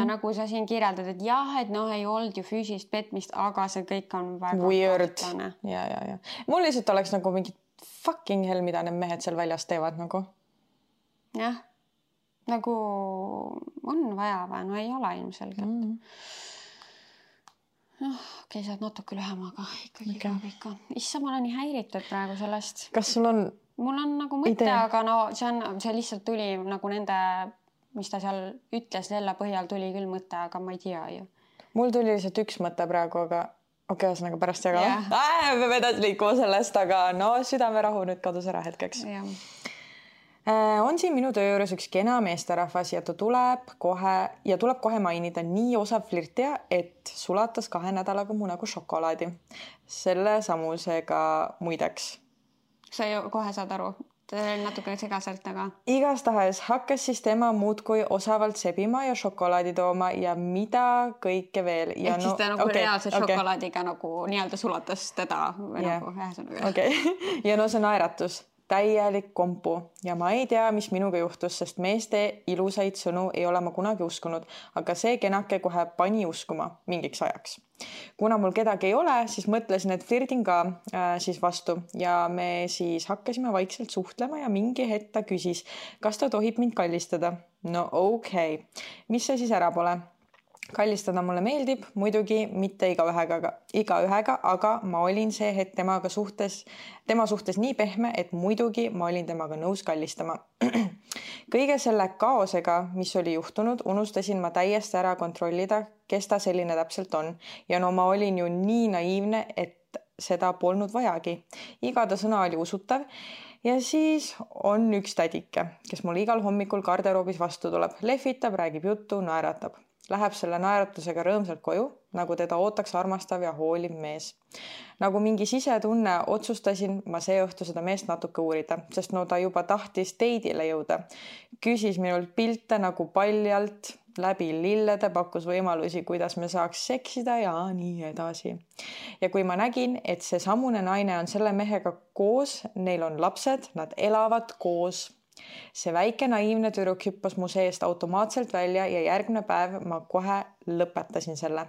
nagu sa siin kirjeldad, et jah, et noh, ei olnud ju füüsilist petmist, aga see kõik on väga weird. Ja. Mul lihtsalt oleks nagu mingi fucking hell, mida need mehed seal väljas teevad nagu. Jah, nagu on vaja või, no ei ole ilmselgelt. Okei, sa oled natuke lühem, aga ikkagi ikka. Issa, ma olen nii häiritud praegu sellest. Kas sul on Mul on nagu mõte, aga no see lihtsalt tuli nagu nende, mis ta seal ütles, Lella põhjal tuli küll mõte, aga ma ei tea ju. Mul tuli lihtsalt üks mõte praegu, aga ühesõnaga pärast jagama. Me peame edasi liikuma sellest, aga no südamerahu nüüd kadus ära hetkeks. On siin minu töö juures üks kena meesterahvas ja ta tuleb kohe mainida nii osav flirtija, et sulatas 2 nädalaga mu nagu šokolaadi. Selle samusega muideks. Sa ju kohe saad aru, natuke segaselt, aga... Igastahes hakkas siis tema muudkui osavalt sebima ja šokolaadi tooma ja mida kõike veel. Ja ehk siis ta nagu reaalse šokolaadiga nagu nii-öelda sulatas teda või nagu ühesõnaga. Ja no see naeratus. Täielik kompu ja ma ei tea, mis minuga juhtus, sest meeste ilusaid sõnu ei ole ma kunagi uskunud, aga see kenake kohe pani uskuma mingiks ajaks. Kuna mul kedagi ei ole, siis mõtlesin, et flirdin ka siis vastu ja me siis hakkasime vaikselt suhtlema ja mingi hetk ta küsis, kas ta tohib mind kallistada. No okei. Mis see siis ära pole? Kallistada mulle meeldib, muidugi mitte igaühega, aga ma olin see hetk tema suhtes nii pehme, et muidugi ma olin temaga nõus kallistama. Kõige selle kaosega, mis oli juhtunud, unustasin ma täiesti ära kontrollida, kes ta selline täpselt on. Ja no ma olin ju nii naiivne, et seda polnud vajagi. Iga ta sõna oli usutav. Ja siis on üks tädike, kes mul igal hommikul garderoobis vastu tuleb, lehvitab, räägib juttu, naeratab. Läheb selle naeratusega rõõmsalt koju, nagu teda ootaks armastav ja hooliv mees. Nagu mingi sisetunne otsustasin ma see õhtu seda meest natuke uurida, sest no ta juba tahtis date'ile jõuda. Küsis minult pilte nagu paljalt, läbi lillede, pakkus võimalusi, kuidas me saaks seksida ja nii edasi. Ja kui ma nägin, et see samune naine on selle mehega koos, neil on lapsed, nad elavad koos. See väike naiivne tüdruk hüppas mu seest automaatselt välja ja järgmine päev ma kohe lõpetasin selle.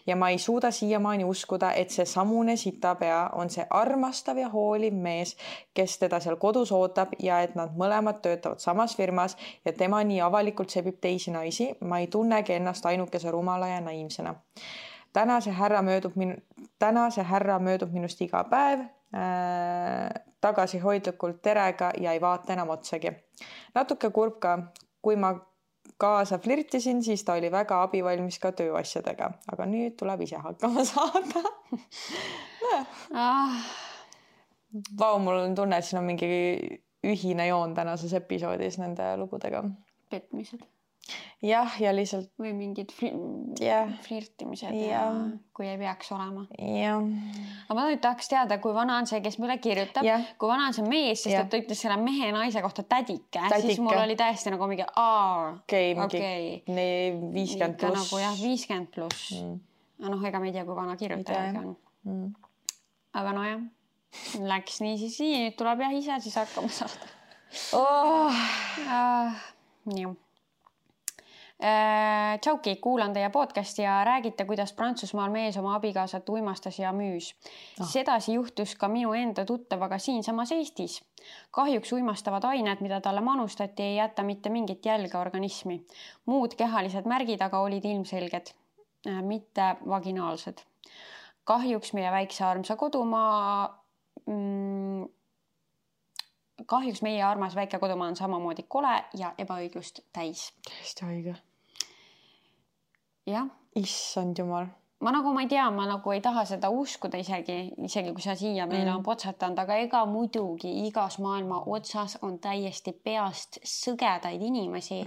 Ja ma ei suuda siiamaani uskuda, et see samune sitapea on see armastav ja hooliv mees, kes teda seal kodus ootab ja et nad mõlemad töötavad samas firmas ja tema nii avalikult sebib teisi naisi. Ma ei tunnegi ennast ainukese rumala ja naiivsena. Täna see härra möödub minust iga päev. Tagasihoidlikult terega ja ei vaata enam otsagi. Natuke kurb ka, kui ma kaasa flirtisin, siis ta oli väga abivalmis ka tööasjadega, aga nüüd tuleb ise hakkama saada. Vau, mul on tunne, et siin on mingi ühine joon tänases episoodis nende lugudega. Petmised. Jah, ja lihtsalt... Või mingid flirtimised ja kui ei peaks olema. Aga ma nüüd tahaks teada, kui vana on see, kes meile kirjutab, kui vana on see mees, sest et ta ütles selle mehe naise kohta tädike. Siis mul oli täiesti nagu mingi 50 pluss. Nagu jah, 50 pluss. Noh, ega me ei tea, kui vana kirjutajaga on. Aga no jah, läks nii siis nii, nüüd tuleb jah ise, siis hakkama saada. Nii. Tšauki, kuulan teie podcasti ja räägite, kuidas Prantsusmaal mees oma abikaasat uimastas ja müüs. Sedasi juhtus ka minu enda tuttavaga siinsamas Eestis. Kahjuks uimastavad ained, mida talle manustati, ei jäta mitte mingit jälge organismi. Muud kehalised märgid aga olid ilmselged, mitte vaginaalsed. Kahjuks meie väikse armsa kodumaa... Kahjuks meie armas väike kodumaa on samamoodi kole ja ebaõiglust täis. Täiesti haige. Jah. Issand jumal. Ma ei tea, ma ei taha seda uskuda isegi kui sa siia meile on potsatanud, aga ega muidugi igas maailma otsas on täiesti peast sõgedaid inimesi,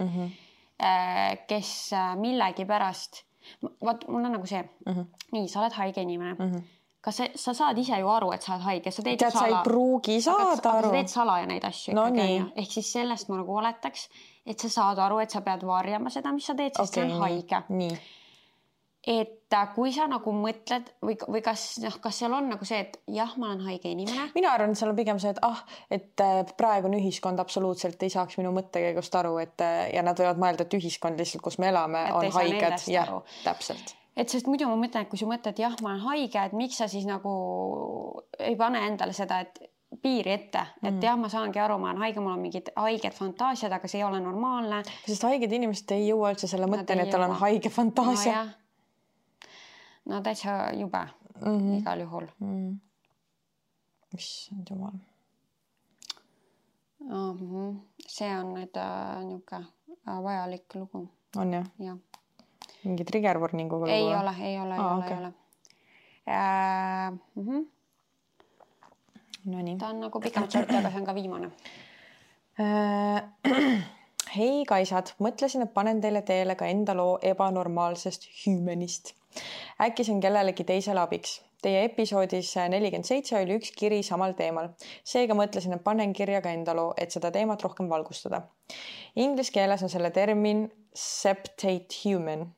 kes millegi pärast... Vaat, mul on nagu see, nii, sa oled haige inimene. Kas sa saad ise ju aru, et sa oled haige? Sa ei pruugi saada aru. Aga sa teed salaja neid asju. No nii. Ehk siis sellest ma oletaks, et sa saad aru, et sa pead varjama seda, mis sa teed, sest see on haige. Nii. et kui sa nagu mõtled või kas seal on nagu see, et jah, ma olen haige inimene. Mina arvan, et seal on pigem see, et praegune ühiskond absoluutselt ei saaks minu mõttekäigust aru, ja nad võivad mõelda, et ühiskond lihtsalt, kus me elame, on haiged. Jah, täpselt. Et sest muidu ma mõtlen, et kui sa mõtled, jah, ma olen haige, et miks sa siis nagu ei pane endale seda, et piiri ette, et jah, ma saangi aru, ma olen haige, mul on mingid haiged fantaasiad, aga see ei ole normaalne. Sest haiged inimesed ei jõua üldse selle mõtteni, et tal on haige fantaasia. No täitsa jube igal juhul. Issand jumal. See on nüüd niuke vajalik lugu. On jah? Jah. Mingi trigger warninguga lugu? Ei ole. No nii. Ta on nagu pikemalt sorti, aga see on ka viimane. Hei kaisad, mõtlesin, et panen teile teele ka enda loo ebanormaalsest hüümenist. Äkki see on kellelegi teisele abiks. Teie episoodis 47 oli üks kiri samal teemal. Seega mõtlesin, et panen kirja ka enda loo, et seda teemat rohkem valgustada. Inglise keeles on selle termin septate human.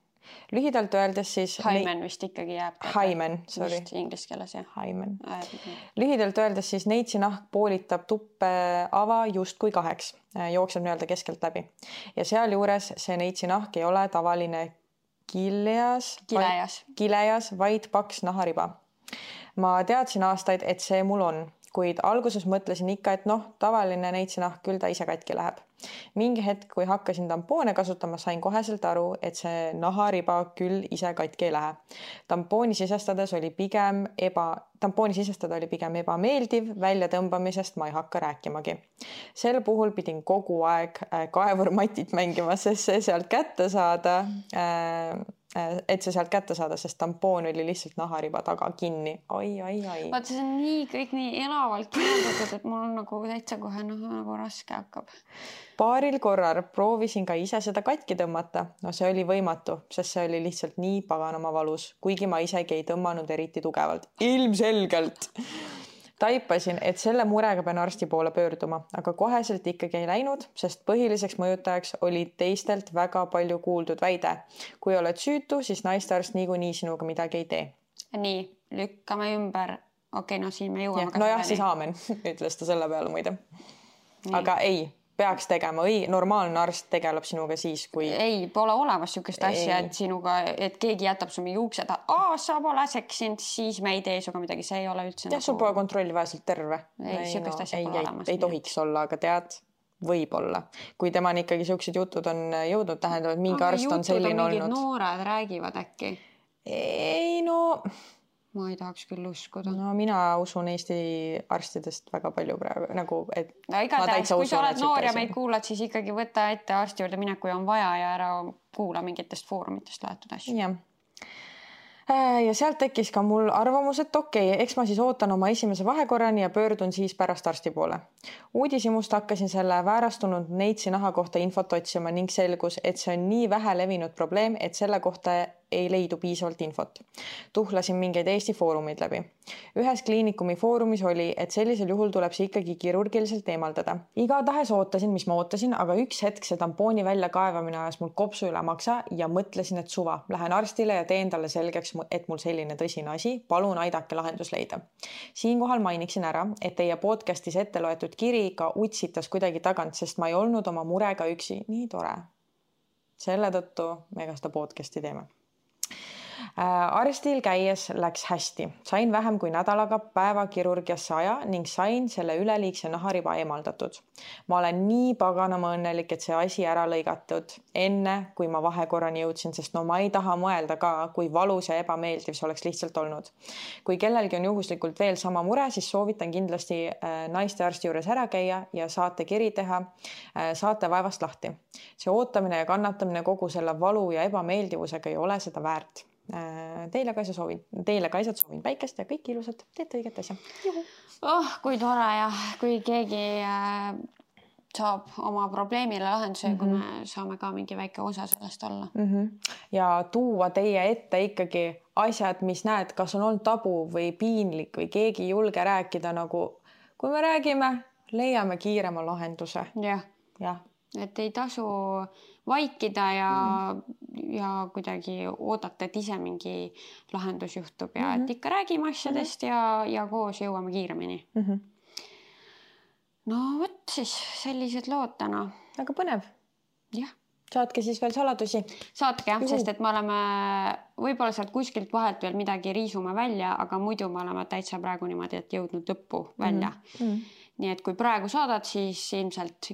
Lühidalt öeldes siis... Hymen vist ikkagi jääb. Hymen, sorry. Vist inglise keeles, jah. Hymen. Lühidalt öeldes siis neitsinahk poolitab tuppe ava just kui 2. Jookseb nii-öelda keskelt läbi. Ja seal juures see neitsinahk ei ole tavaline kilejas, vaid paks nahariba. Ma teadsin aastaid, et see mul on, kuid alguses mõtlesin ikka, et tavaline neitsinahk küll ta ise katki läheb. Mingi hetk, kui hakkasin tampoone kasutama, sain koheselt aru, et see nahariba küll ise katki ei lähe. Tampooni sisestada oli pigem ebameeldiv, väljatõmbamisest ma ei hakka rääkimagi. Sel puhul pidin kogu aeg kaevurmatit mängima, sest see sealt kätte saada, sest tampoon oli lihtsalt nahariba taga kinni. Ai. Vaat see on kõik nii elavalt kirjeldatud, et mul on nagu täitsa kohe nagu raske hakkab. Paaril korral proovisin ka ise seda katki tõmmata. See oli võimatu, sest see oli lihtsalt nii paganama valus, kuigi ma isegi ei tõmmanud eriti tugevalt. Ilmselgelt! Taipasin, et selle murega pean arsti poole pöörduma, aga koheselt ikkagi ei läinud, sest põhiliseks mõjutajaks oli teistelt väga palju kuuldud väide. Kui oled süütu, siis naistearst niikuinii sinuga midagi ei tee. Nii, lükkame ümber. Okei, siin me jõuame. Nojah, siis aamen, ütles ta selle peale muide. Aga ei. Peaks tegema, normaalne arst tegeleb sinuga siis, kui... Ei, pole olemas sükest asja, et keegi jätab su mingi uksed, sa pole seksinud, siis me ei tee suga midagi, see ei ole üldse nagu... sul pole kontrolli vähselt terve. Sükest asja pole olemas. Ei tohiks olla, aga tead, võib-olla. Kui tema ikkagi siuksed jutud on jõudnud, tähendab, et mingi arst on selline olnud. Mingid noored räägivad äkki? Ei, Ma ei tahaks küll uskuda. Mina usun Eesti arstidest väga palju praegu, nagu, et igatahes, kui sa oled noor ja meid kuulad, siis ikkagi võta ette arsti juurde mine, kui on vaja ja ära kuula mingitest foorumitest laetud asju. Jah. Ja sealt tekkis ka mul arvamus, et okei, eks ma siis ootan oma esimese vahekorrani ja pöördun siis pärast arsti poole. Uudishimust hakkasin selle väärastunud neitsi naha kohta infot otsima ning selgus, et see on nii vähe levinud probleem, et selle kohta ei leidu piisavalt infot. Tuhlasin mingeid Eesti foorumeid läbi. Ühes kliinikumi foorumis oli, et sellisel juhul tuleb see ikkagi kirurgiliselt eemaldada. Igatahes ootasin, mis ma ootasin, aga üks hetk see tampooni välja kaevamine ajas mul kopsu üle maksa ja mõtlesin, et suva. Lähen arstile ja teen talle selgeks, et mul selline tõsine asi. Palun aidake lahendus leida. Siinkohal mainiksin ära, et teie podcastis ette loetud kiri ka utsitas kuidagi tagant, sest ma ei olnud oma murega üksi. Nii tore. Selle tõttu me ka seda podcasti teeme. Arstil käies läks hästi. Sain vähem kui nädalaga päevakirurgiasse aja ning sain selle üleliigse nahariba eemaldatud. Ma olen nii paganama õnnelik, et see asi ära lõigatud enne, kui ma vahekorrani jõudsin, sest ma ei taha mõelda ka, kui valus ja ebameeldiv see oleks lihtsalt olnud. Kui kellelgi on juhuslikult veel sama mure, siis soovitan kindlasti naistearsti juures ära käia ja saate kiri teha, saate vaevast lahti. See ootamine ja kannatamine kogu selle valu ja ebameeldivusega ei ole seda väärt. Teile kaisad soovin päikest ja kõik ilusad, teete õiget asja. Juhu. Kui tore ja kui keegi saab oma probleemile lahenduse, kui me saame ka mingi väike osa sellest olla. Ja tuua teie ette ikkagi asjad, mis näed, kas on olnud tabu või piinlik või keegi ei julge rääkida, nagu kui me räägime, leiame kiirema lahenduse. Jah. et ei tasu vaikida ja kuidagi oodata, et ise mingi lahendus juhtub ja et ikka räägime asjadest ja koos jõuame kiiremini. No võt siis sellised lood täna. Väga põnev. Jah. Saatke siis veel saladusi. Saatke jah, sest et me oleme võib-olla sealt kuskilt vahelt veel midagi riisume välja, aga muidu me oleme täitsa praegu niimoodi, et jõudnud lõppu välja. Nii et kui praegu saadad, siis ilmselt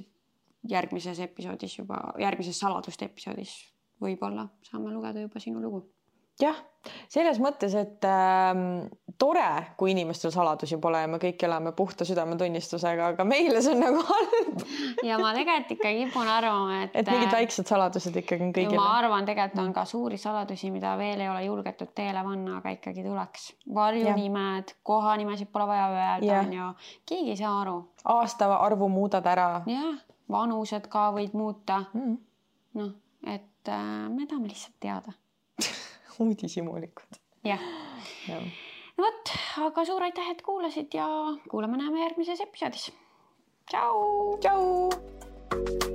järgmises saladuste episoodis võib-olla saame lugeda juba sinu lugu. Jah, selles mõttes, et tore, kui inimestel saladusi pole ja me kõik elame puhta südametunnistusega, aga meile see on nagu halb. Ja ma tegelikult ikka kipun arvama, et mingid väiksed saladused ikkagi on kõigile. Ma arvan, tegelikult on ka suuri saladusi, mida veel ei ole julgetud teele panna, aga ikkagi tuleks. Varjunimed, kohanimesid pole vaja öelda, on ju. Keegi ei saa aru. Aasta arvu muudad ära. Jah, vanused ka võid muuta. Noh, et me tahame lihtsalt teada. Uudishimulikud. Jah. No võt, aga suur aitäh, et kuulasid ja kuulame näeme järgmises episoodis. Tšau! Tšau!